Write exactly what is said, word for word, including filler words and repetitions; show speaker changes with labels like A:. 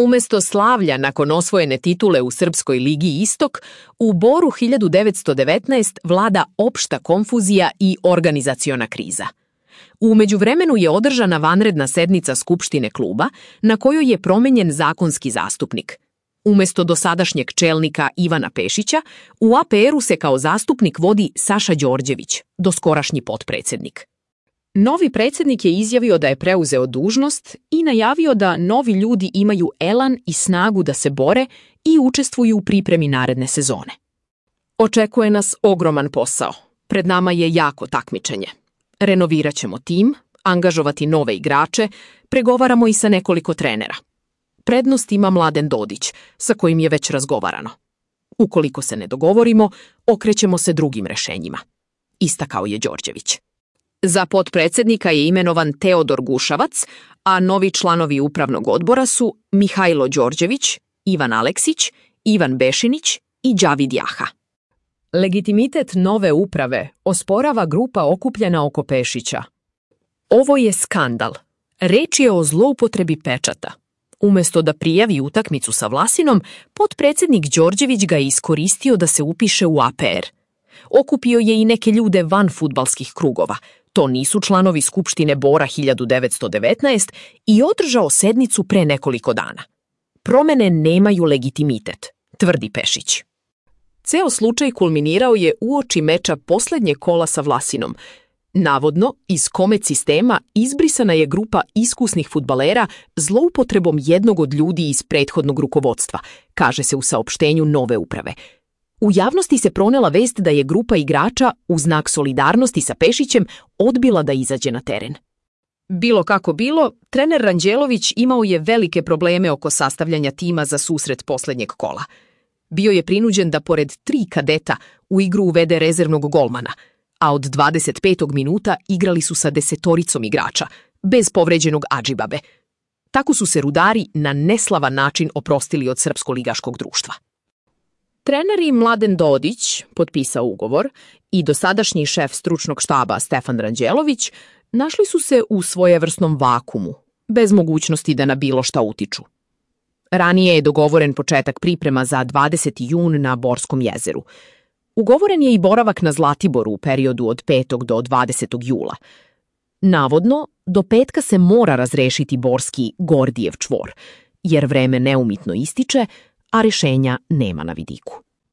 A: Umesto slavlja nakon osvojene titule u Srpskoj ligi Istok, u Boru hiljadu devetsto devetnaeste vlada opšta konfuzija i organizaciona kriza. U međuvremenu je održana vanredna sednica Skupštine kluba na kojoj je promenjen zakonski zastupnik. Umesto dosadašnjeg čelnika Ivana Pešića, u A P R-u se kao zastupnik vodi Saša Đorđević, doskorašnji potpredsednik. Novi predsjednik je izjavio da je preuzeo dužnost i najavio da novi ljudi imaju elan i snagu da se bore i učestvuju u pripremi naredne sezone. Očekuje nas ogroman posao. Pred nama je jako takmičenje. Renovirat ćemo tim, angažovati nove igrače, pregovaramo i sa nekoliko trenera. Prednost ima Mladen Dodić, sa kojim je već razgovarano. Ukoliko se ne dogovorimo, okrećemo se drugim rešenjima. Istakao je Đorđević. Za potpredsednika je imenovan Teodor Gušavac, a novi članovi upravnog odbora su Mihajlo Đorđević, Ivan Aleksić, Ivan Bešinić i Đavid Jaha. Legitimitet nove uprave osporava grupa okupljena oko Pešića. Ovo je skandal. Reč je o zloupotrebi pečata. Umesto da prijavi utakmicu sa Vlasinom, potpredsednik Đorđević ga je iskoristio da se upiše u A P R. Okupio je i neke ljude van fudbalskih krugova. To nisu članovi Skupštine Bora hiljadu devetsto devetnaeste i održao sednicu pre nekoliko dana. Promene nemaju legitimitet, tvrdi Pešić. Ceo slučaj kulminirao je uoči meča poslednjeg kola sa Vlasinom. Navodno, iz Komet sistema izbrisana je grupa iskusnih fudbalera zloupotrebom jednog od ljudi iz prethodnog rukovodstva, kaže se u saopštenju nove uprave. U javnosti se pronela vest da je grupa igrača, u znak solidarnosti sa Pešićem, odbila da izađe na teren. Bilo kako bilo, trener Ranđelović imao je velike probleme oko sastavljanja tima za susret poslednjeg kola. Bio je prinuđen da pored tri kadeta u igru uvede rezervnog golmana, a od dvadeset petog minuta igrali su sa desetoricom igrača, bez povređenog Adžibabe. Tako su se Rudari na neslavan način oprostili od Srpsko-ligaškog društva. Treneri Mladen Dodić, potpisao ugovor, i dosadašnji šef stručnog štaba Stefan Ranđelović našli su se u svojevrsnom vakumu, bez mogućnosti da na bilo šta utiču. Ranije je dogovoren početak priprema za dvadeseti jun na Borskom jezeru. Ugovoren je i boravak na Zlatiboru u periodu od petog do dvadesetog jula. Navodno, do petka se mora razrešiti Borski Gordijev čvor, jer vreme neumitno ističe, a rešenja nema na vidiku.